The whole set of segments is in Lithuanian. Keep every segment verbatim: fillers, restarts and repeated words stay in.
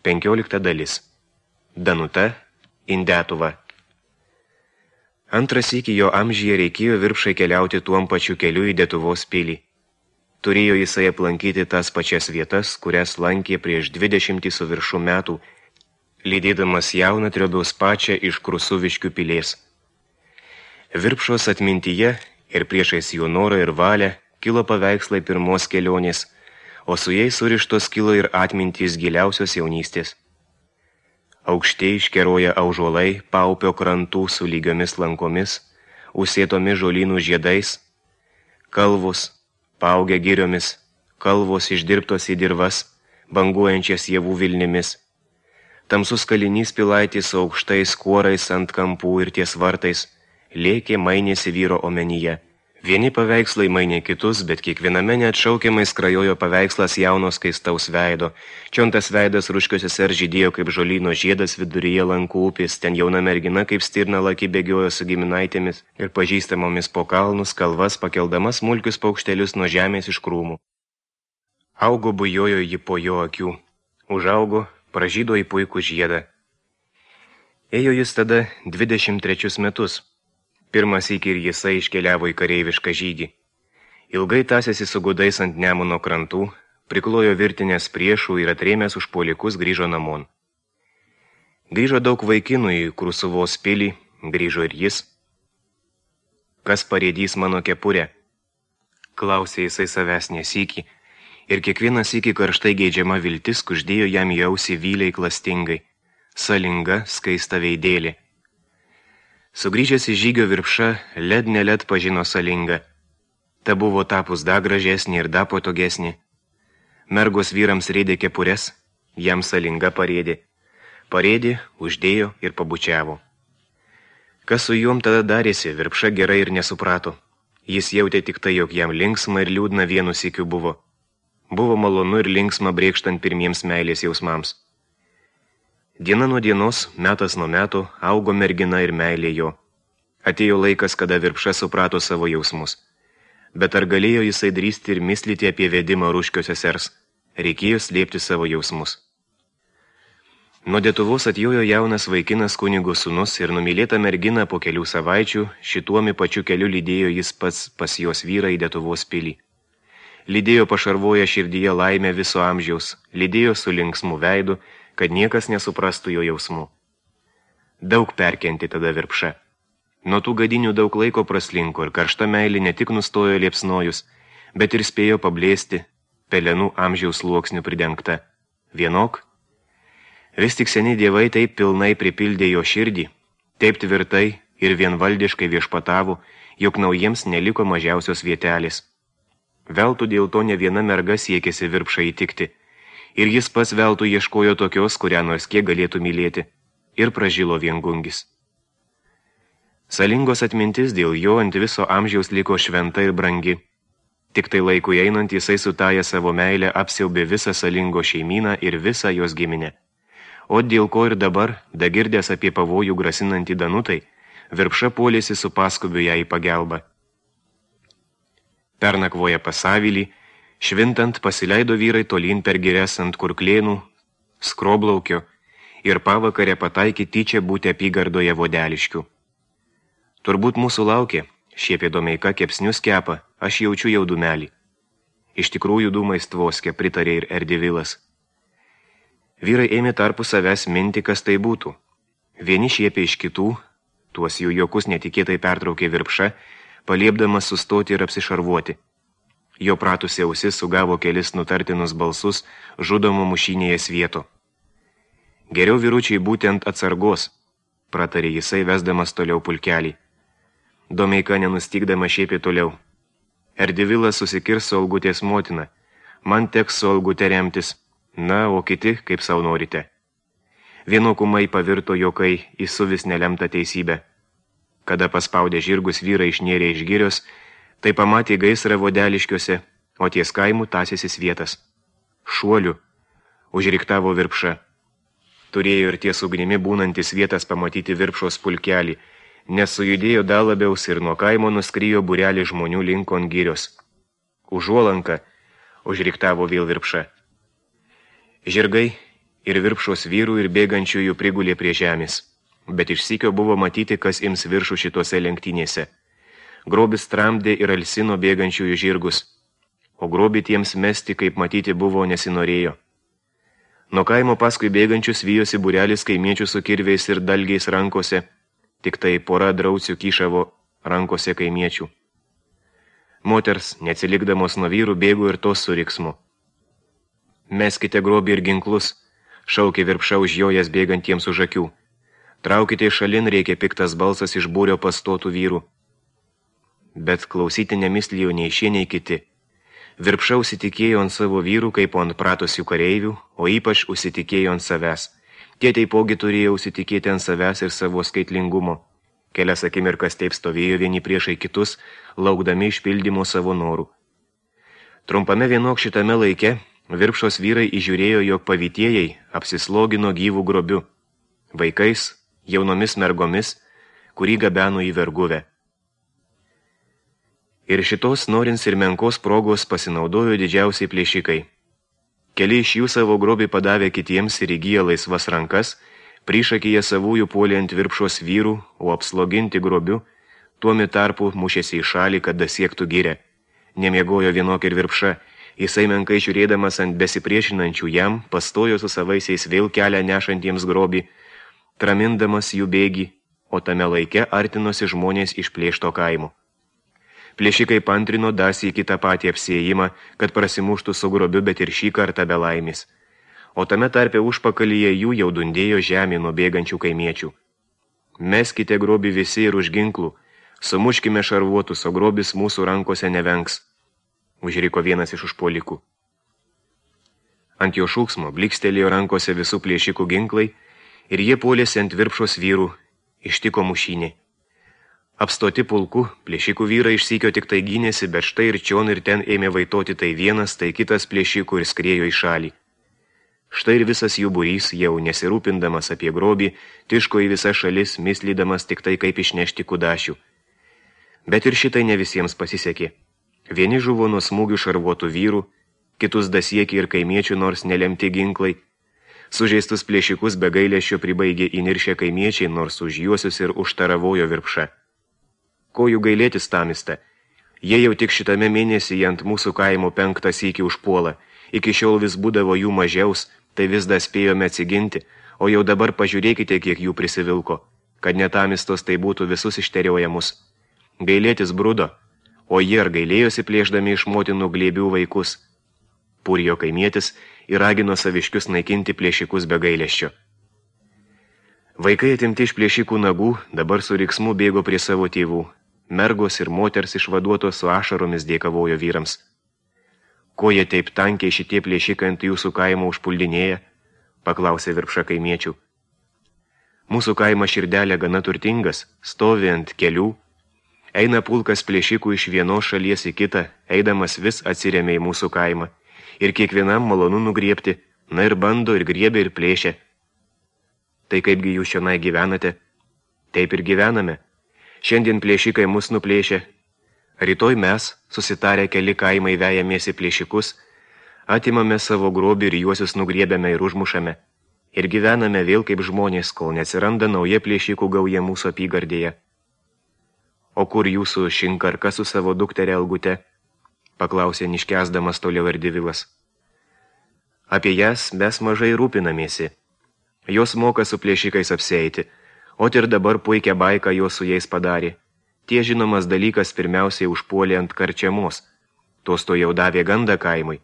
Penkiolikta dalis. Danuta, Indetuva. Antras iki jo amžyje reikėjo Virpšai keliauti tuom pačiu keliu į Detuvos pilį. Turėjo jisai aplankyti tas pačias vietas, kurias lankė prieš dvidešimtį su viršų metų, lydėdamas jauną Triobiaus pačią iš Krusuviškių pilės. Virpšos atmintyje ir priešais jo norą ir valią kilo paveikslai pirmos kelionės, o su jais surištos kilo ir atmintys giliausios jaunystės. Aukštei iškeroja aužuolai paupio krantų su lygiomis lankomis, užsėtomis žolynų žiedais, kalvos, paaugę giriomis, kalvos išdirbtos į dirvas, banguojančias javų vilnimis. Tamsus kalinys pilaitės su aukštais kuorais ant kampų ir ties vartais, lėkė mainėsi vyro omenyje. Vieni paveikslai mainė kitus, bet kiekviename neatšaukiamai skrajojo paveikslas jaunos skaistaus veido. Čiontas veidas ruškiuose ar žydėjo kaip žolyno žiedas viduryje lankų upės, ten jauna mergina kaip stirna laki bėgiojo su giminaitėmis ir pažįstamomis po kalnus, kalvas, pakeldama smulkius paukštelius nuo žemės iš krūmų. Augo bujojo ji po jo akių, užaugo, pražydo į puikų žiedą. Ėjo jis tada dvidešimt trečius metus. Pirmas iki ir jisai iškeliavo į kareivišką žygį. Ilgai tąsėsi su gudais ant Nemuno krantų, priklojo virtinės priešų ir atrėmęs užpuolikus grįžo namon. Grįžo daug vaikinų į Krusuvos pilį, grįžo ir jis. Kas parėdys mano kepurę? Klausė jisai savęs nesykį, ir kiekvienas iki karštai geidžiama viltis kuždėjo jam į ausį vyliai klastingai, salinga, skaista veidėlė. Sugrįžęs į žygio Virpša, led neled pažino salingą. Ta buvo tapus da gražesnė ir da patogesnė. Mergos vyrams rėdė kepures, jam salinga parėdė. Parėdė, uždėjo ir pabučiavo. Kas su juom tada darėsi, Virpša gerai ir nesuprato. Jis jautė tik tai, jog jam linksma ir liūdna vienu sykiu buvo. Buvo malonu ir linksma brėkštant pirmiems meilės jausmams. Diena nuo dienos, metas nuo metų, augo mergina ir meilė jo. Atėjo laikas, kada Virpša suprato savo jausmus. Bet ar galėjo jisai drįsti ir mislyti apie vedimą Ruškio sesers? Reikėjo slėpti savo jausmus. Nuo Detuvos atjojo jaunas vaikinas kunigo sūnus ir numylėta mergina po kelių savaičių, šituomi pačiu keliu lydėjo jis pats pas jos vyrą į Detuvos pilį. Lydėjo pašarvoja širdyje laimę viso amžiaus, lydėjo su linksmu veidu, kad niekas nesuprastų jo jausmų. Daug perkenti tada Virpša. Nuo tų gadinių daug laiko praslinko ir karšta meilė ne tik nustojo liepsnojus, bet ir spėjo pablėsti, pelenų amžiaus sluoksnių pridengta. Vienok? Vis tik seni dievai taip pilnai pripildė jo širdį, taip tvirtai ir vienvaldiškai viešpatavo, jog naujiems neliko mažiausios vietelės. Veltų dėl to ne viena merga siekėsi Virpšą įtikti, ir jis pats veltų ieškojo tokios, kurią nors kiek galėtų mylėti, ir pražilo viengungis. Salingos atmintis dėl jo ant viso amžiaus liko šventa ir brangi. Tik tai laikui einant jisai sutaja savo meilę apsiaubė visą Salingo šeimyną ir visą jos giminę. O dėl ko ir dabar, dagirdęs apie pavojų grasinantį Danutai, Virpša puolėsi su paskubiu ją į pagelbą. Pernakvoja pasavilį, švintant pasileido vyrai tolyn per girias ant Kurklėnų, Skroblaukio ir pavakarę pataikė tyčia būti apygardoje Vodeliškių. Turbūt mūsų laukė, šiepė Domeika kepsnius kepa, aš jaučiu jau dūmelį. Iš tikrųjų dūmais tvoskė, pritarė ir Erdivilas. Vyrai ėmė tarpu savęs minti, kas tai būtų. Vieni šiepė iš kitų, tuos jų juokus netikėtai pertraukė Virpša, paliepdamas sustoti ir apsišarvuoti. Jo pratusi ausis sugavo kelis nutartinus balsus žudomo mušinėje svieto. Geriau vyručiai būti ant atsargos, pratarė jisai vesdamas toliau pulkelį. Domeika nenustygdama šiepė toliau. Erdivilas susikirs su Olgutės motina, man teks su Olgute remtis, na, o kiti, kaip sau norite. Vienokumai pavirto jokai į suvis nelemtą teisybę. Kada paspaudė žirgus vyrai išnėrė iš girios, tai pamatė gaisrą Vodeliškiuose, o ties kaimų tąsėsi svietas. Šuoliu, užriktavo Virpša. Turėjo ir ties ugnimi būnantis vietas pamatyti Virpšos pulkelį, nes sujudėjo dar labiaus ir nuo kaimo nuskrijo būrelį žmonių linkon girios. Užuolanka, užriktavo vėl Virpša. Žirgai Ir virpšos vyrų ir bėgančiųjų prigulė prie žemės. Bet iš sykio buvo matyti, kas ims viršų šitose lenktynėse. Grobis tramdė ir alsino bėgančiųjų žirgus, o grobį tiems mesti, kaip matyti, buvo nesinorėjo. Nuo kaimo paskui bėgančius vijosi būrelis kaimiečių su kirviais ir dalgiais rankose, tik tai pora draucių kyšavo rankose kaimiečių. Moters, neatsilikdamos nuo vyrų, bėgo ir tos su riksmu. Meskite grobį ir ginklus, šaukė virpša užjojęs bėgantiems už akių. Traukite į šalin, reikia piktas balsas iš būrio pastotų vyrų. Bet klausyti nemislijo nei šie, nei kiti. Virpša užsitikėjo ant savo vyrų, kaip ant pratusių kareivių, o ypač užsitikėjo ant savęs. Tie taipogi turėjo užsitikėti ant savęs ir savo skaitlingumo. Kelias akimirkas taip stovėjo vieni priešai kitus, laukdami išpildymo savo norų. Trumpame vienok šitame laike virpšos vyrai įžiūrėjo, jog pavytėjai apsislogino gyvų grobiu, vaikais, jaunomis mergomis, kurį gabeno į verguvę. Ir šitos norins ir menkos progos pasinaudojo didžiausiai plėšikai. Keli iš jų savo grobį padavė kitiems ir įgyja laisvas rankas, prišakyje savųjų puolė ant virpšos vyrų, o apsloginti grobiu, tuomi tarpu mušėsi į šalį, kad dasiektų gyrę. Nemiegojo vienok ir virpša, jisai menkai žiūrėdamas ant besipriešinančių jam, pastojo su savaisiais vėl kelią nešantiems grobį, tramindamas jų bėgį, o tame laike artinosi žmonės iš plėšto kaimo. Plėšikai pantrino dasį į kitą patį apsiėjimą, kad prasimuštų su grobiu, bet ir šį kartą be laimės. O tame tarpe užpakalyje jų jau dundėjo žemė nuo bėgančių kaimiečių. Meskite grobį visi ir už ginklų, sumuškime šarvuotus, o grobis mūsų rankose nevengs, užriko vienas iš užpuolikų. Ant jo šūksmo blikstelėjo rankose visų plėšikų ginklai ir jie puolėsi ant virpšos vyrų, ištiko mušynė. Apstoti pulku, plėšikų vyrai išsykio tik tai gynėsi, bet štai ir čion ir ten ėmė vaitoti tai vienas, tai kitas plėšikų ir skriejo į šalį. Štai ir visas jų būrys, jau nesirūpindamas apie grobį, tiško į visas šalis, mislydamas tik tai kaip išnešti kudašių. Bet ir šitai ne visiems pasisekė. Vieni žuvo nuo smūgių šarvuotų vyrų, kitus dasiekė ir kaimiečių, nors nelemti ginklai. Sužeistus plėšikus be gailesčio pribaigė įniršę kaimiečiai, nors už juosius ir užtaravojo virpša. Ko jų gailėtis tamista? Jie jau tik šitame mėnesyje ant mūsų kaimo penktą sykį užpuola. Iki šiol vis būdavo jų mažiaus, tai vis dar spėjome atsiginti, o jau dabar pažiūrėkite, kiek jų prisivilko, kad netamistos tai būtų visus išteriojamus. Gailėtis brudo, o jie ar gailėjosi plėšdami iš motinų glėbių vaikus. Purijo kaimietis ir ragino saviškius naikinti plėšikus be gailesčio. Vaikai atimti iš plėšikų nagų dabar su riksmu bėgo prie savo tėvų. Mergos ir moters išvaduotos su ašaromis dėkavojo vyrams. Ko jie taip tankiai šitie plėšikai ant jūsų kaimo užpuldinėja? Paklausė virpša kaimiečių. Mūsų kaimo širdelė gana turtingas, stovi ant kelių. Eina pulkas plėšikų iš vienos šalies į kitą, eidamas vis atsiremia į mūsų kaimą. Ir kiekvienam malonu nugriebti, na ir bando, ir griebia, ir plėšia. Tai kaipgi jūs čionai gyvenate? Taip ir gyvename. Šiandien plėšikai mus nuplėšia. Rytoj mes, susitarę keli kaimai vejamėsi plėšikus, atimame savo grobį ir juosius nugriebiame ir užmušame. Ir gyvename vėl kaip žmonės, kol neatsiranda nauja plėšikų gauja mūsų apygardėje. O kur jūsų šinkarka su savo dukterė Elgute? Paklausė niškęsdamas toliau Erdivilas. Apie jas mes mažai rūpinamėsi. Jos moka su plėšikais apsieiti, o ir dabar puikia baika jos su jais padarė. Tie žinomas dalykas pirmiausiai užpuolė ant karčiamos. Tos to jau davė gandą kaimui.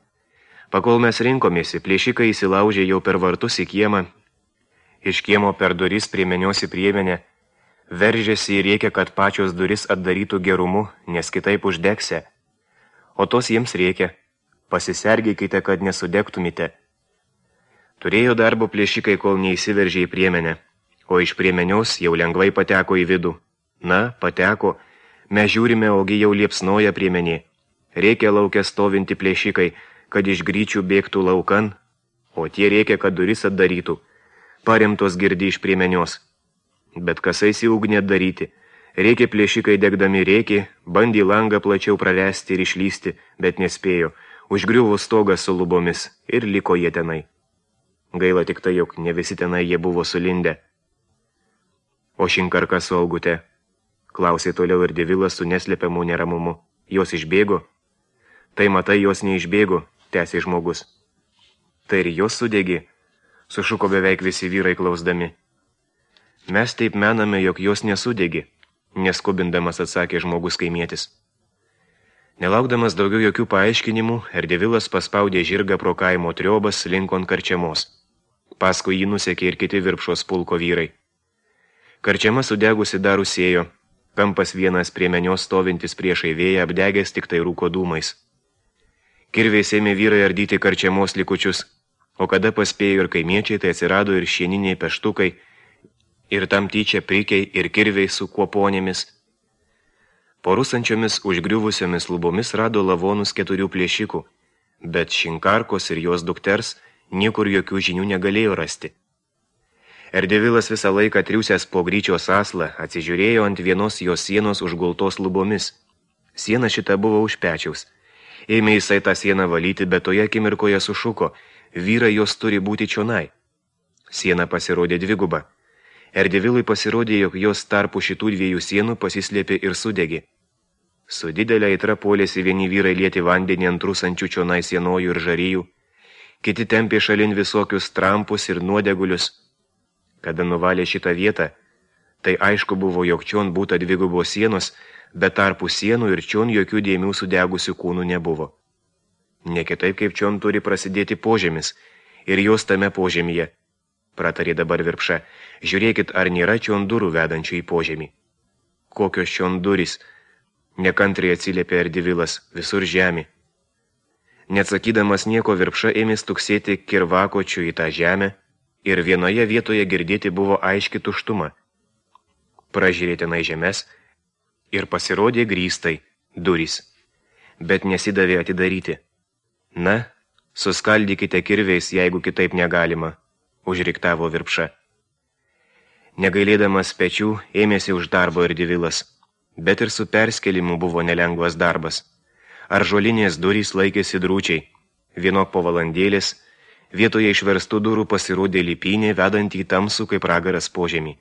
Pakol mes rinkomėsi, plėšikai įsilaužė jau per vartus į kiemą. Iš kiemo per duris prie menios į priemenę. Veržėsi ir reikia, kad pačios duris atdarytų gerumu, nes kitaip uždegse. O tos jiems reikia. Pasisergėkite, kad nesudegtumite. Turėjo darbo plėšikai, kol neįsiveržė į priemenę, o iš priemenios jau lengvai pateko į vidų. Na, pateko, mes žiūrime, ogi jau liepsnoja priemenė. Reikia laukia stovinti plėšikai, kad iš gryčių bėgtų laukan, o tie reikia, kad duris atdarytų. Paremtos girdi iš priemenios. Bet kasais į ugnį atdaryti. Reikia plėšikai degdami rėkė, bandė langą plačiau pravesti ir išlysti, bet nespėjo. Užgriuvo stogas su lubomis ir liko jie tenai. Gaila tik tai, jog ne visi tenai jie buvo sulindę. O Šinkarka su Algute? Klausė toliau ir Devilas su neslėpiamu neramumu. Jos išbėgo? Tai matai, jos neišbėgo, tęsė žmogus. Tai ir jos sudegi, sušuko beveik visi vyrai klausdami. Mes taip mename, jog jos nesudegi, neskubindamas atsakė žmogus kaimietis. Nelaukdamas daugiau jokių paaiškinimų, Erdevilas paspaudė žirgą pro kaimo triobas linkon karčiamos. Paskui jį nusekė ir kiti Virpšos pulko vyrai. Karčiama sudegusi dar rusėjo, kampas vienas prie menios stovintis priešai vėją apdegęs tik tai rūko dūmais. Kirviais ėmė vyrai ardyti karčiamos likučius, o kada paspėjo ir kaimiečiai, tai atsirado ir šieniniai peštukai, ir tam tyčia prikiai ir kirviai su kuoponėmis. Po rusančiomis užgriuvusiomis lubomis rado lavonus keturių plėšikų, bet Šinkarkos ir jos dukters niekur jokių žinių negalėjo rasti. Erdevilas visą laiką triūsęs po gryčios aslą atsižiūrėjo ant vienos jos sienos užgultos lubomis. Siena šita buvo už pečiaus. Ėmė jisai tą sieną valyti, bet toje akimirkoje sušuko, vyrai jos turi būti čionai. Siena pasirodė dviguba. Erdevilui pasirodė, jog jos tarpu šitų dviejų sienų pasislėpė ir sudegė. Su didelė aitra puolėsi vieni vyrai lieti vandenį ant rusančių čionai sienojų ir žaryjų, kiti tempė šalin visokius trampus ir nuodegulius. Kada nuvalė šitą vietą, tai aišku buvo, jog čion būta dvigubos sienos, bet tarpu sienų ir čion jokių dėmių sudegusių kūnų nebuvo. Ne kitaip kaip čion turi prasidėti požemis, ir jos tame požemyje, pratarė dabar Virpša, žiūrėkit, ar nėra čion durų vedančių į požemį. Kokios čion durys, nekantriai atsiliepė Erdevilas, visur žemė. Neatsakydamas nieko, Virpša ėmė stuksėti kirvakočių į tą žemę, ir vienoje vietoje girdėti buvo aiški tuštuma. Pražiūrė tenai žemes ir pasirodė grįstai, durys, bet nesidavė atidaryti. Na, suskaldykite kirviais, jeigu kitaip negalima, užriktavo Virpša. Negailėdamas pečių, ėmėsi už darbo Erdevilas, bet ir su perskelimu buvo nelengvas darbas. Ąžuolinės durys laikėsi drūčiai, vienok po valandėlės, vietoje išverstų durų pasirodė lipynė, vedant į tamsų kaip ragaras požemį.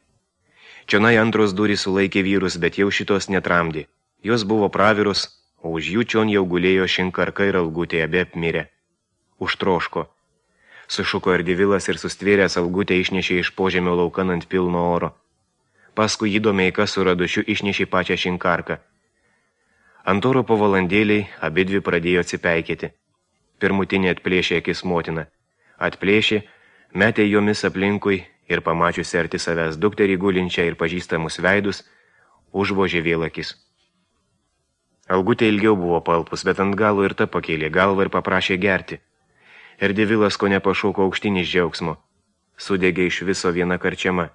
Čionai antros durys sulaikė vyrus, bet jau šitos netramdė. Jos buvo pravirus, o už jų čion jau gulėjo Šinkarka ir Algutė, abi apmirę. Užtroško. Sušuko Erdevilas ir sustvėręs Algutę išnešė iš požemio laukan ant pilno oro. Paskui jį Domeika su Radušiu išnešė pačią Šinkarką. Ant oro po valandėliai abidvi pradėjo atsipeikėti. Pirmutinė atplėšė akis motina. Atplėšė, metė jomis aplinkui ir pamačiusi arti savęs dukterį gulinčią ir pažįstamus veidus, užvožė vėl akis. Algutė ilgiau buvo palpus, bet ant galo ir ta pakėlė galvą ir paprašė gerti. Erdevilas ko nepašauko aukštyn iš džiaugsmo. Sudegė iš viso viena karčiama.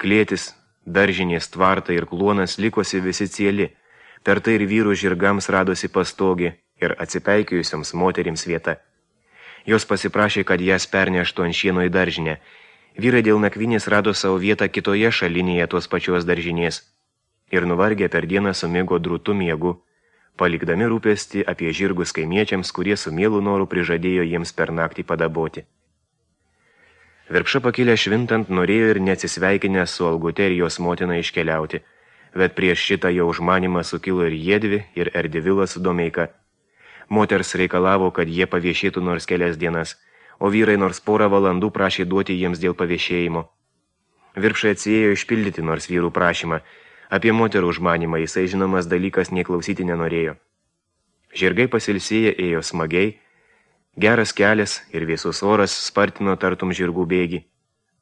Klėtis, daržinės, tvartai ir kluonas likosi visi cieli. Per tai ir vyrų žirgams radosi pastogė ir atsipeikėjusiams moterims vieta. Jos pasiprašė, kad jas perneštų ant šieno į daržinę. Vyrai dėl nakvynės rado savo vietą kitoje šalinėje tos pačios daržinės. Ir nuvargę per dieną sumigo drūtų miegu, palikdami rūpestį apie žirgus kaimiečiams, kurie su mielu noru prižadėjo jiems per naktį padaboti. Virpša pakilę švintant norėjo ir neatsisveikinę su Algute ir jos motina iškeliauti, bet prieš šitą jo užmanimą sukilo ir jiedvi, ir Erdevilas su Domeika. Moters reikalavo, kad jie paviešėtų nors kelias dienas, o vyrai nors porą valandų prašė duoti jiems dėl paviešėjimo. Virpša atsiėjo išpildyti nors vyrų prašymą. Apie moterų užmanimą jisai žinomas dalykas neklausyti nenorėjo. Žirgai pasilsėję ėjo smagiai, geras kelias ir vėsus oras spartino tartum žirgų bėgį,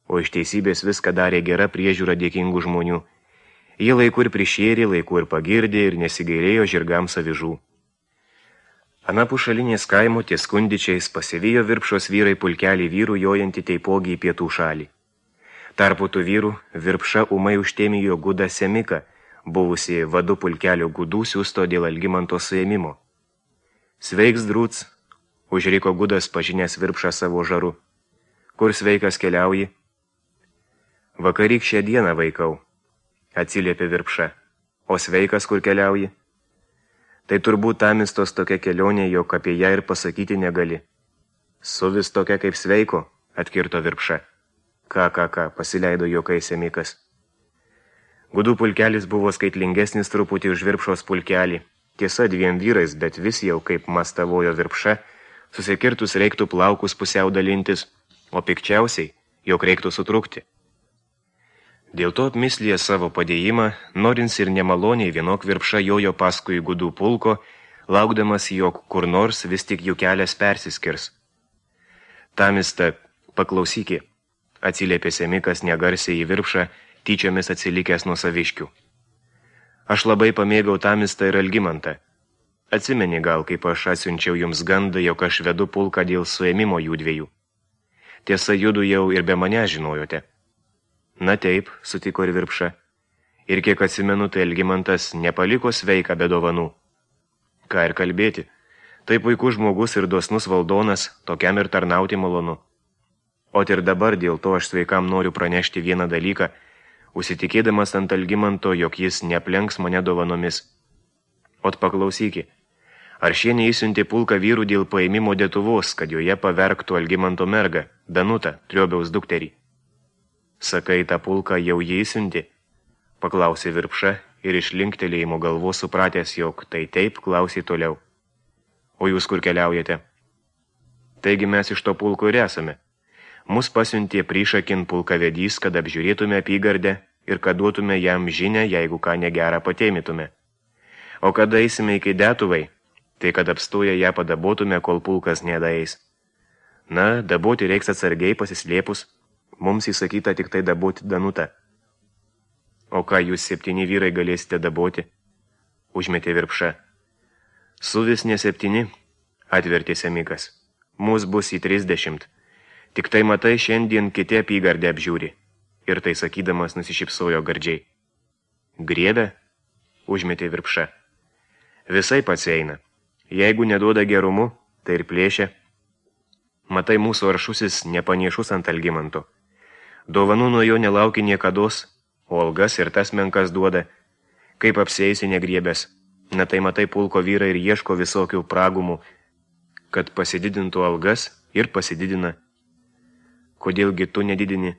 o iš teisybės viską darė gera priežiūra dėkingų žmonių. Jie laiku ir prišėrė, laiku ir pagirdė ir nesigailėjo žirgams avižų. Anapus šalinės kaimo ties Kundičiais pasivijo Virpšos vyrai pulkelį vyrų jojantį taipogi į pietų šalį. Tarpu tų vyrų Virpša ūmai užtėmijo Gudą Semiką, buvusi vadu pulkelio Gudų siųsto dėl Algimanto suėmimo. Sveiks, drūts, užriko Gudas pažinęs Virpšą savo žaru. Kur sveikas keliauji? Vakaryk šią dieną vaikau, atsiliepė Virpša. O sveikas kur keliauji? Tai turbūt tamistos tokia kelionė, jog apie ją ir pasakyti negali. Suvis tokia kaip sveiko, atkirto Virpša. Ką, ką, ką, pasileido juokais Semikas. Gudų pulkelis buvo skaitlingesnis truputį už Virpšos pulkelį. Tiesa, dviem vyrais, bet vis jau, kaip mastavojo Virpša, susikirtus reiktų plaukus pusiau dalintis, o pikčiausiai, jog reiktų sutrukti. Dėl to apmislėje savo padėjimą, norins ir nemaloniai vienok Virpša jojo paskui Gudų pulko, laukdamas, jog kur nors vis tik jų kelias persiskirs. Tamista, paklausykį, atsiliepė Semikas negarsiai į Virpšą, tyčiomis atsilikęs nuo saviškių. Aš labai pamėgau Tamistą ir Algimantą. Atsimeni gal, kaip aš atsiunčiau jums gandą, jog aš vedu pulką dėl suėmimo jų dviejų. Tiesa, judu jau ir be mane žinojote. Na taip, sutiko ir Virpša. Ir kiek atsimenu, tai Algimantas nepaliko sveiką be dovanų. Ką ir kalbėti, tai puikus žmogus ir dosnus valdonas, tokiam ir tarnauti malonu. O ir dabar dėl to aš sveikam noriu pranešti vieną dalyką, užsitikėdamas ant Algimanto, jog jis neaplenks mane dovanomis. Ot paklausyki, ar šie neįsiuntė pulką vyrų dėl paėmimo Detuvos, kad joje paverktų Algimanto mergą, Danutą, Triobiaus dukterį? Sakai, tą pulką jau jie įsiuntė? Paklausė Virpša ir iš linktelėjimo galvos supratęs, jog tai taip, klausė toliau. O jūs kur keliaujate? Taigi mes iš to pulko ir esame. Mus pasiuntė prišakin pulkavedys, kad apžiūrėtume apygardę ir kad duotume jam žinę, jeigu ką negerą patėmitume. O kada eisime iki Detuvai, tai kad apstoję ją padabotume, kol pulkas nedaeis. Na, daboti reiks atsargiai pasislėpus, mums įsakyta tik tai daboti Danutą. O ką jūs septyni vyrai galėsite daboti? Užmetė Virpša. Suvis ne septyni, atvertė Semikas. Mūs bus į trisdešimt. Tik tai matai, šiandien kiti apygardę apžiūri. Ir tai sakydamas nusišypsojo gardžiai. Griebė? Užmetė Virpša. Visai pats eina. Jeigu neduoda gerumu, tai ir plėšia. Matai, mūsų aršusis nepaniešus ant Algimanto. Dovanų nuo jo nelaukia niekados, o algas ir tas menkas duoda. Kaip apsieisi negriebęs. Na tai matai, pulko vyrai ir ieško visokių pragumų, kad pasididintų algas ir pasididina. Kodėlgi tu nedidini?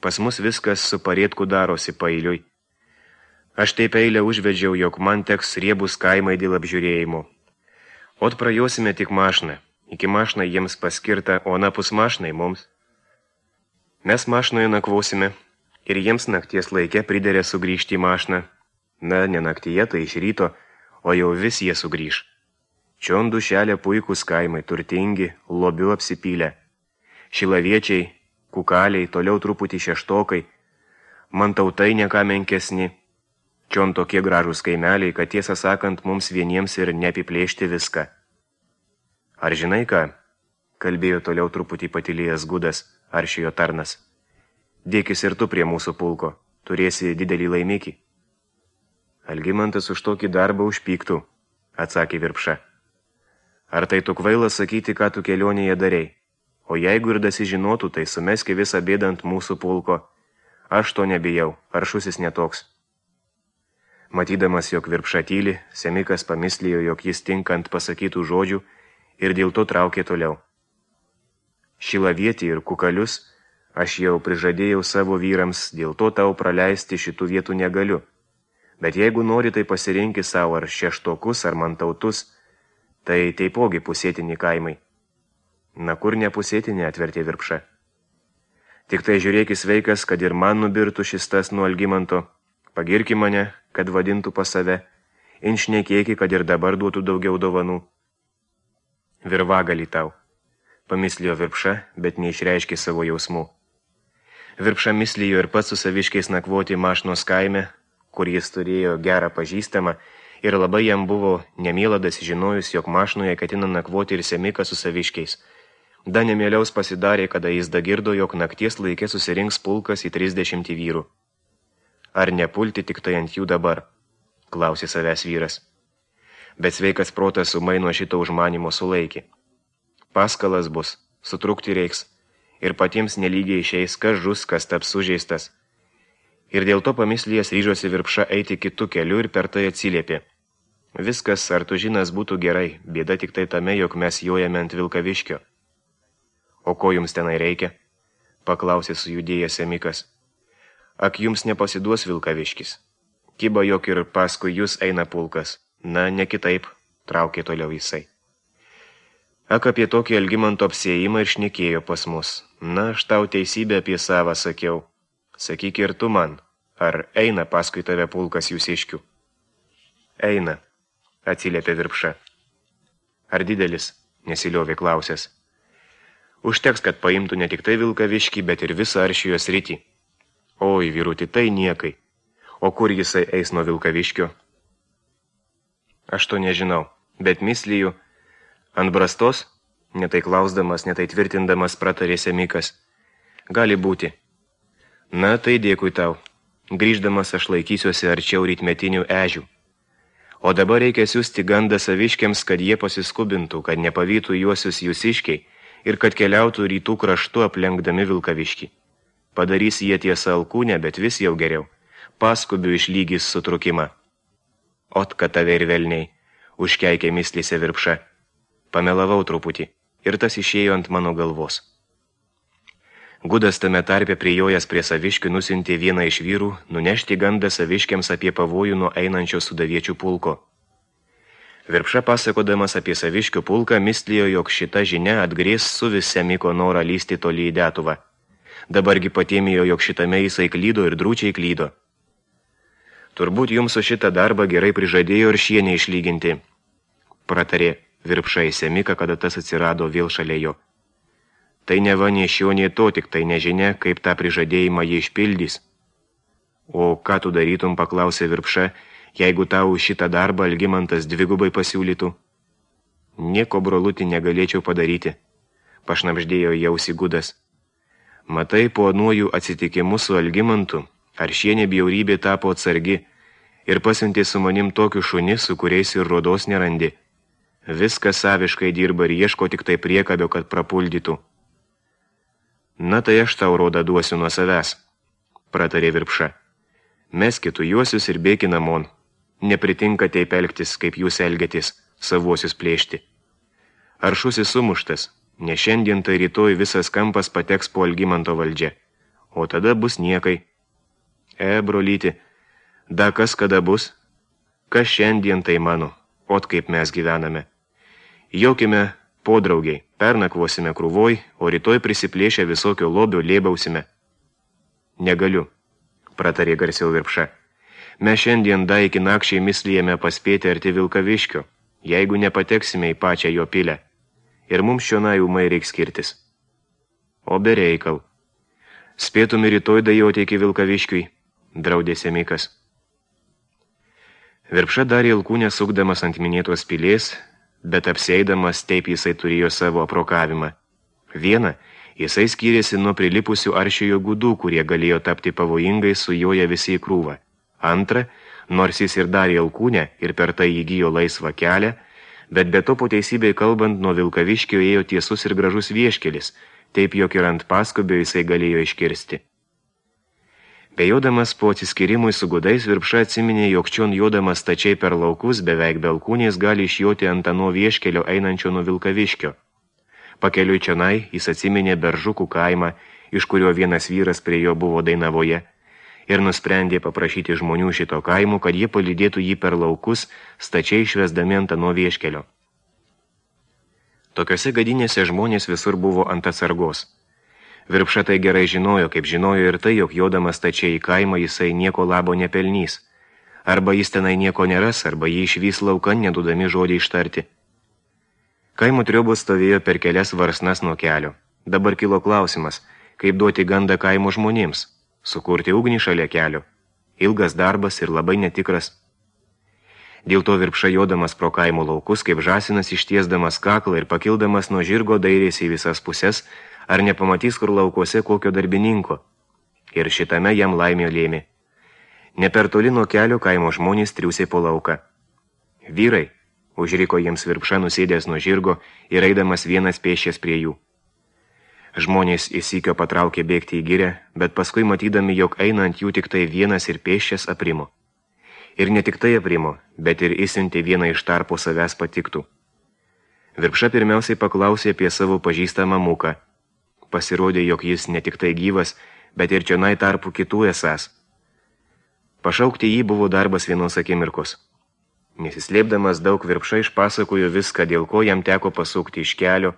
Pas mus viskas su parėtku darosi pailiui. Aš taip eilę užvedžiau, jog man teks riebus kaimai dėl apžiūrėjimo. Ot prajosime tik mašną. Iki mašną jiems paskirta, o napus mašnai mums. Mes mašnoje nakvosime ir jiems nakties laike priderė sugrįžti į mašną. Na, ne naktyje, tai iš ryto, o jau vis jie sugrįž. Čion dušelė puikus kaimai, turtingi, lobiu apsipylę. Šilaviečiai, kukaliai, toliau truputį šeštokai, mantautai neką menkesni. Čion tokie gražūs kaimeliai, kad tiesą sakant, mums vieniems ir neapiplėšti viską. Ar žinai ką? Kalbėjo toliau truputį patylėjęs Gudas, aršijo tarnas. Dėkis ir tu prie mūsų pulko, turėsi didelį laimikį. Algimantas už tokį darbą užpyktų, atsakė Virpša. Ar tai tu kvailas sakyti, ką tu kelionėje darei? O jeigu ir dasižinotų, tai sumeski visą bėdą ant mūsų pulko. Aš to nebijau, aršusis netoks. Matydamas, jog Virpša tyli, Semikas pamislėjo, jog jis tinkant pasakytų žodžių ir dėl to traukė toliau. Šilavietį ir kukalius aš jau prižadėjau savo vyrams, dėl to tau praleisti šitų vietų negaliu. Bet jeigu nori, tai pasirinki savo ar šeštokus, ar mantautus, tai taipogi pusėtini kaimai. Na kur nepusėtinė, atvertė Virpša. Tik tai žiūrėkis veikas, kad ir man nubirtų šis tas nuo Algimanto. Pagirki mane, kad vadintų pas save. Inšnekėki, kad ir dabar duotų daugiau dovanų. Virvagalį tau, pamislėjo Virpša, bet neišreiškė savo jausmų. Virpša mislijo ir pats su saviškiais nakvoti mašnos kaime, kur jis turėjo gerą pažįstamą, ir labai jam buvo nemieladas žinojus, jog mašnoje ketina nakvoti ir Semikas su saviškiais. Da nemieliaus pasidarė, kada jis dagirdo, jog nakties laikė susirinks pulkas į trisdešimtį vyrų. Ar nepulti tik tai ant jų dabar? Klausė savęs vyras. Bet sveikas protas umai nuo šito užmanimo sulaikė. Paskalas bus, sutrukti reiks, ir patiems nelygiai išeis, kas žus, kas taps sužeistas. Ir dėl to pamislėjęs ryžosi Virpša eiti kitų kelių ir per tai atsiliepė. Viskas, ar tu žinas, būtų gerai, bėda tik tai tame, jog mes jojame ant Vilkaviškio. O ko jums tenai reikia? Paklausė sujudėjęs Semikas. Ak, jums nepasiduos Vilkaviškis. Kiba, jog ir paskui jūs eina pulkas. Na, ne kitaip, traukė toliau jisai. Ak, apie tokį Algimanto apsiėjimą ir šnekėjo pas mus. Na, aš tau teisybę apie savą sakiau. Sakyk ir tu man, ar eina paskui tave pulkas jūsiškių? Eina, atsiliepė Virpša. Ar didelis? Nesiliovė klausęs. Užteks, kad paimtų ne tik tai Vilkaviškį, bet ir visą Aršijo sritį. Oi, vyruti, tai niekai. O kur jisai eis nuo Vilkaviškio? Aš to nežinau, bet mislijų. Ant brastos, netai klausdamas, netai tvirtindamas, pratarė Semikas. Gali būti. Na, tai dėkui tau. Grįždamas aš laikysiuosi arčiau rytmetinių ežių. O dabar reikia siųsti gandą saviškiams, kad jie pasiskubintų, kad nepavytų juosius jūsiškiai ir kad keliautų rytų kraštu aplenkdami Vilkaviškį. Padarys jie tiesą alkūnę, bet vis jau geriau. Paskubių išlygys sutrukimą. Ot, kad tave ir velniai, užkeikė mislėse Virpša. Pamelavau truputį ir tas išėjo ant mano galvos. Gudas tame tarpe prijojęs prie saviškių nusintė vieną iš vyrų nunešti gandą saviškiams apie pavojų nuo einančio sudaviečių pulko. Virpša pasakodamas apie saviškių pulką mislijo, jog šita žinia atgrės su vis Semiko norą lysti toli į Detuvą. Dabargi patėmijo, jog šitame jisai klydo ir drūčiai klydo. Turbūt jums su šitą darbą gerai prižadėjo ir šienį išlyginti, pratarė Virpša į Semiką, kada tas atsirado vėl šalia jo. Tai neva nei šio, nei to, tik tai nežinia, kaip tą prižadėjimą jie išpildys. O ką tu darytum, paklausė Virpša, jeigu tau šitą darbą Algimantas dvigubai pasiūlytų? Nieko, brolutį, negalėčiau padaryti, pašnabždėjo jausi Gudas. Matai, po anuojų atsitikimu su Algimantu, ar šienė bjaurybė tapo atsargi ir pasiuntė su manim tokių šunį, su kuriais ir rodos nerandi. Viskas saviškai dirba ir ieško tik tai priekabio, kad prapuldytų. Na tai aš tau rodą duosiu nuo savęs, pratarė Virpša. Meskitų juosius ir bėki namon. Nepritinka taip elgtis, kaip jūs elgiatės, savuosius plėšti. Aršusi sumuštas, ne šiandien tai rytoj visas kampas pateks po Algimanto valdžia, o tada bus niekai. E, brolyti, da kas kada bus? Kas šiandien tai mano, ot kaip mes gyvename. Jaukime podraugiai, pernakvosime krūvoj, o rytoj prisiplėšę visokio lobio lėbausime. Negaliu, pratarė garsiau Virpša. Mes šiandien da iki nakščiai mislijame paspėti arti Vilkaviškio, jeigu nepateksime į pačią jo pilę. Ir mums šionai ūmai reiks skirtis. O be reikal. Spėtumi rytoj dajoti iki Vilkaviškiui, draudė Semikas. Virpša darė alkūnę sukdamas ant minėtos pilės, bet apsieidamas taip jisai turėjo savo aprokavimą. Viena, jisai skyrėsi nuo prilipusių Aršijo gudų, kurie galėjo tapti pavojingai sujoję visi į krūvą. Antra, nors jis ir darė alkūnę ir per tai įgijo laisvą kelią, bet be to po teisybei kalbant nuo Vilkaviškio ėjo tiesus ir gražus vieškelis, taip jog ir ant paskubio jisai galėjo iškirsti. Bejodamas po atsiskyrimui su gudais, Virpša atsiminė, jog čion jodamas stačiai per laukus, beveik be alkūnės gali išjoti ant ano vieškelio einančio nuo Vilkaviškio. Pakeliui čionai jis atsiminė Beržukų kaimą, iš kurio vienas vyras prie jo buvo Dainavoje, ir nusprendė paprašyti žmonių šito kaimų, kad jie palydėtų jį per laukus, stačiai išvesdami ant ano vieškelio. Tokiose gadinėse žmonės visur buvo ant atsargos. Virpša tai gerai žinojo, kaip žinojo ir tai, jog jodamas stačiai į kaimą jisai nieko labo nepelnys. Arba jis tenai nieko neras, arba jį išvys laukan, nedudami žodį ištarti. Kaimo triobos stovėjo per kelias varsnas nuo kelio. Dabar kilo klausimas, kaip duoti gandą kaimo žmonėms, sukurti ugnį šalia kelio. Ilgas darbas ir labai netikras. Dėl to Virpša jodamas pro kaimo laukus, kaip žąsinas ištiesdamas kaklą ir pakildamas nuo žirgo dairėsi į visas puses, ar nepamatys kur laukuose kokio darbininko. Ir šitame jam laimė lėmė. Ne per toli nuo kelio kaimo žmonės triūsė po lauką. Vyrai, užriko jiems Virpša nusėdęs nuo žirgo ir eidamas vienas pėsčias prie jų. Žmonės įsykio patraukė bėgti į girę, bet paskui matydami, jog einant jų tik tai vienas ir pėsčias aprimo. Ir ne tik tai aprimo, bet ir įsiuntė vieną iš tarpo savęs patiktų. Virpša pirmiausiai paklausė apie savo pažįstamą Muką. pasirodė, jog jis ne tik tai gyvas, bet ir čionai tarpu kitų esas. Pašaukti jį buvo darbas vienos akimirkos. Nesislėpdamas daug Virpša išpasakojo viską, dėl ko jam teko pasukti iš kelio,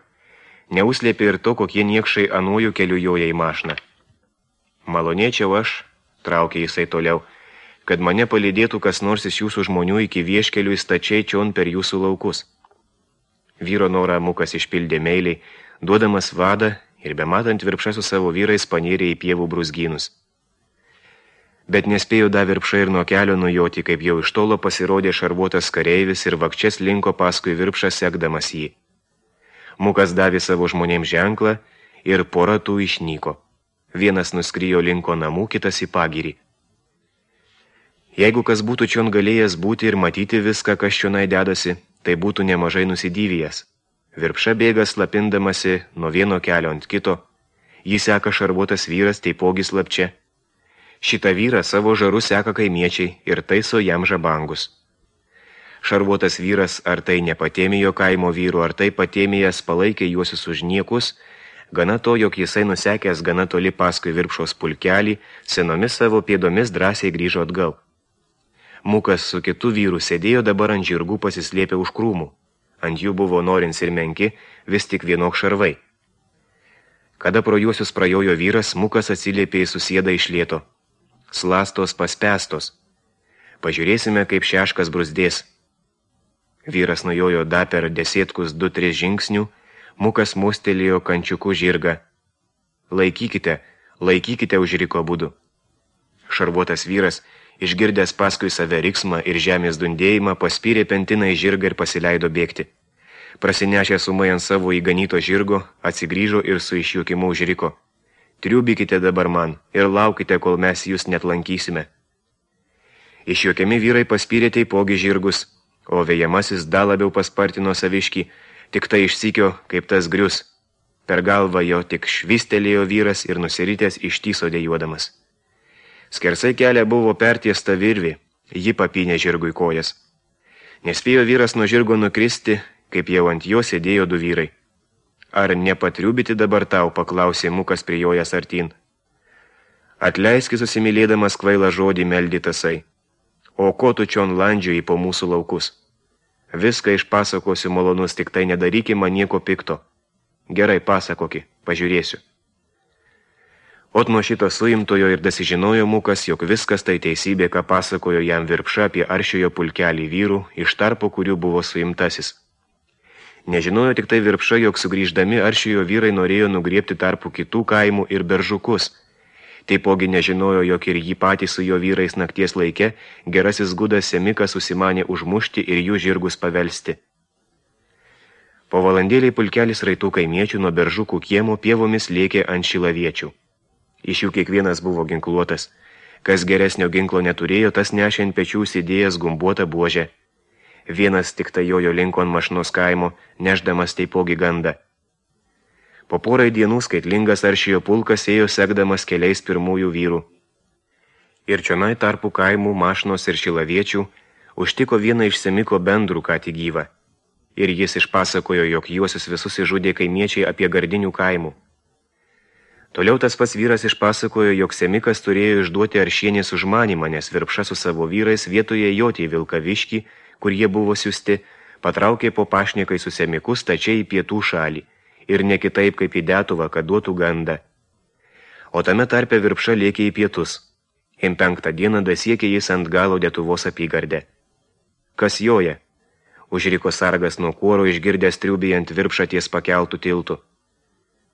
neuslėpė ir to, kokie niekšai anuoju keliu joja į mašiną. Malonėčiau aš, traukė jisai toliau, kad mane palydėtų kas nors iš jūsų žmonių iki vieškelių įstačiai čion per jūsų laukus. Vyro norą Mukas išpildė meiliai, duodamas vadą ir bematant Virpša su savo vyrais panėrė į pievų brūzgynus. Bet nespėjo da Virpša ir nuo kelio nujoti, kaip jau iš tolo pasirodė šarvuotas kareivis ir vakčias linko paskui Virpšą sekdamas jį. Mukas davė savo žmonėms ženklą ir pora tų išnyko. Vienas nuskrijo linko namų, kitas į pagirį. Jeigu kas būtų čion galėjęs būti ir matyti viską, kas čionai dedasi, tai būtų nemažai nusidyvijęs. Virpša bėga slapindamasi nuo vieno kelio ant kito, jį seka šarvuotas vyras, taipogi slapčia. Šitą vyrą savo žaru seka kaimiečiai ir taiso jam žabangus. Šarvuotas vyras, ar tai nepatėmijo kaimo vyrų, ar tai patėmijas palaikė juosius už niekus, gana to, jog jisai nusekęs gana toli paskui Virpšos pulkelį, senomis savo pėdomis drąsiai grįžo atgal. Mukas su kitu vyru sėdėjo dabar ant žirgų pasislėpę už krūmų. Ant jų buvo norins ir menki, vis tik vienok šarvai. Kada pro juosius prajojo vyras, Mukas atsiliepė į susėdą iš lėto. Slastos paspestos. Pažiūrėsime, kaip šeškas bruzdės. Vyras nujojo da per desėtkus du tris žingsnių, Mukas mostelėjo kančiuku žirgą. Laikykite, laikykite, užriko abudu. Šarvuotas vyras, išgirdęs paskui save riksmą ir žemės dundėjimą, paspyrė pentiną į žirgą ir pasileido bėgti. Prasinešę sumai ant savo įganyto žirgo, atsigrįžo ir su išjuokimu užriko. Triubykite dabar man ir laukite, kol mes jūs net lankysime. Išjuokiami vyrai paspyrė taipogi žirgus, o vėjamasis dar labiau paspartino saviškį, tik tai išsikio, kaip tas grius. Per galvą jo tik švistelėjo vyras ir nusiritęs ištyso dejuodamas. Skersai kelią buvo pertiesta virvė, ji papynė žirgui kojas. Nespėjo vyras nuo žirgo nukristi, kaip jau ant jo sėdėjo du vyrai. Ar nepatriubyti dabar tau, paklausė Mukas prijojas artin. Atleiski susimylėdamas kvailą žodį meldė tasai. O ko tu čion landžioji po mūsų laukus? Viską išpasakosiu malonus, tik tai nedaryki man nieko pikto. Gerai, pasakoki, pažiūrėsiu. Ot nuo šito suimtojo ir dasižinojo Mukas, jog viskas tai teisybė, ką pasakojo jam Virpša apie aršiojo pulkelį vyrų, iš tarpo kurių buvo suimtasis. Nežinojo tik tai Virpša, jog sugrįždami aršiojo vyrai norėjo nugriebti tarpu kitų kaimų ir beržukus. Taipogi nežinojo, jog ir jį patį su jo vyrais nakties laike gerasis gudas Semikas susimanė užmušti ir jų žirgus pavelsti. Po valandėliai pulkelis raitų kaimiečių nuo beržukų kiemo pievomis lėkė ant šilaviečių. Iš jų kiekvienas buvo ginkluotas. Kas geresnio ginklo neturėjo, tas nešė ant pečių sėdėjęs gumbuotą buožę. Vienas tik tai jojo linko ant mašnos kaimo, nešdamas taipogi gandą. Po porai dienų skaitlingas aršiojo pulkas ėjo sekdamas keliais pirmųjų vyrų. Ir čionai tarpų kaimų, mašnos ir šilaviečių užtiko vieną iš Semiko bendrų ką tik gyvą. Ir jis išpasakojo, jog juosius visus išžudė kaimiečiai apie Gardinių kaimų. Toliau tas pats vyras išpasakojo, jog Semikas turėjo išduoti aršienės užmanymą, nes Virpša su savo vyrais vietoje joti į Vilkaviškį, kur jie buvo siusti, patraukė po pašnekai su Semiku stačiai į pietų šalį, ir ne kitaip kaip į Detuvą, kad duotų gandą. O tame tarpe Virpša lėkė į pietus. Im penktą dieną dasiekė jis ant galo Detuvos apygardę. Kas joja? Užriko sargas nuo kuoro išgirdęs triubijant Virpšą ties pakeltų tiltų.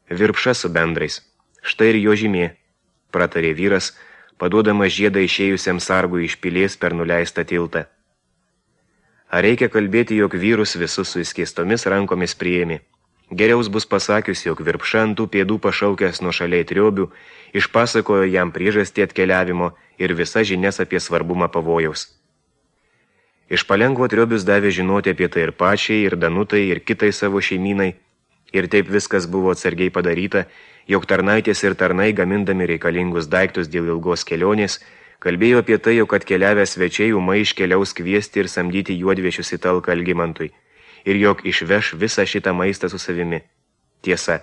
Virpša su bendrais. Štai ir jo žymė, pratarė vyras, paduodamas žiedą išėjusiam sargui iš pilies per nuleistą tiltą. Ar reikia kalbėti, jog vyrus visus su įskėstomis rankomis priėmė? Geriaus bus pasakius, jog Virpša ant tų pėdų pašaukęs nuo šaliai triobių, išpasakojo jam priežastį atkeliavimo ir visas žinias apie svarbumą pavojaus. Iš palengvo triobius davė žinoti apie tai ir pačiai, ir Danutai, ir kitai savo šeimynai, ir taip viskas buvo atsargiai padaryta, jog tarnaitės ir tarnai, gamindami reikalingus daiktus dėl ilgos kelionės, kalbėjo apie tai, jog atkeliavę svečiai ūmai iškeliaus kviesti ir samdyti juodviešius į talką Algimantui, ir jog išveš visą šitą maistą su savimi. Tiesa.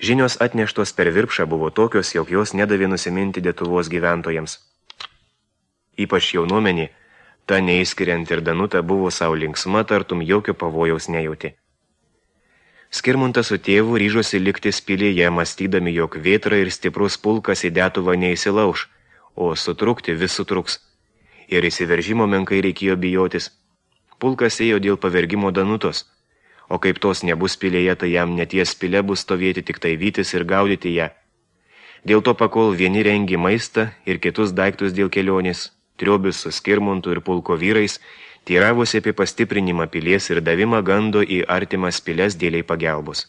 Žinios atneštos per Virpšą buvo tokios, jog jos nedavė nusiminti Lietuvos gyventojams. Ypač jaunuomenį, ta neįskiriant ir Danutą buvo savo linksma, tartum jokio pavojaus nejauti. Skirmuntas su tėvu ryžosi likti pilyje, mąstydami, jog vėtra ir stiprus pulkas į Lietuvą neįsilauš, o sutrukti vis sutruks. Ir įsiveržimo menkai reikėjo bijotis. Pulkas ėjo dėl pavergimo Danutos, o kaip tos nebus pilyje, tai jam neties pilė bus stovėti tik tai vytis ir gaudyti ją. Dėl to pakol vieni rengi maistą ir kitus daiktus dėl kelionės, Triobius su Skirmuntu ir pulko vyrais teiravosi apie pastiprinimą pilies ir davimą gando į artimas piles dėliai pagelbos.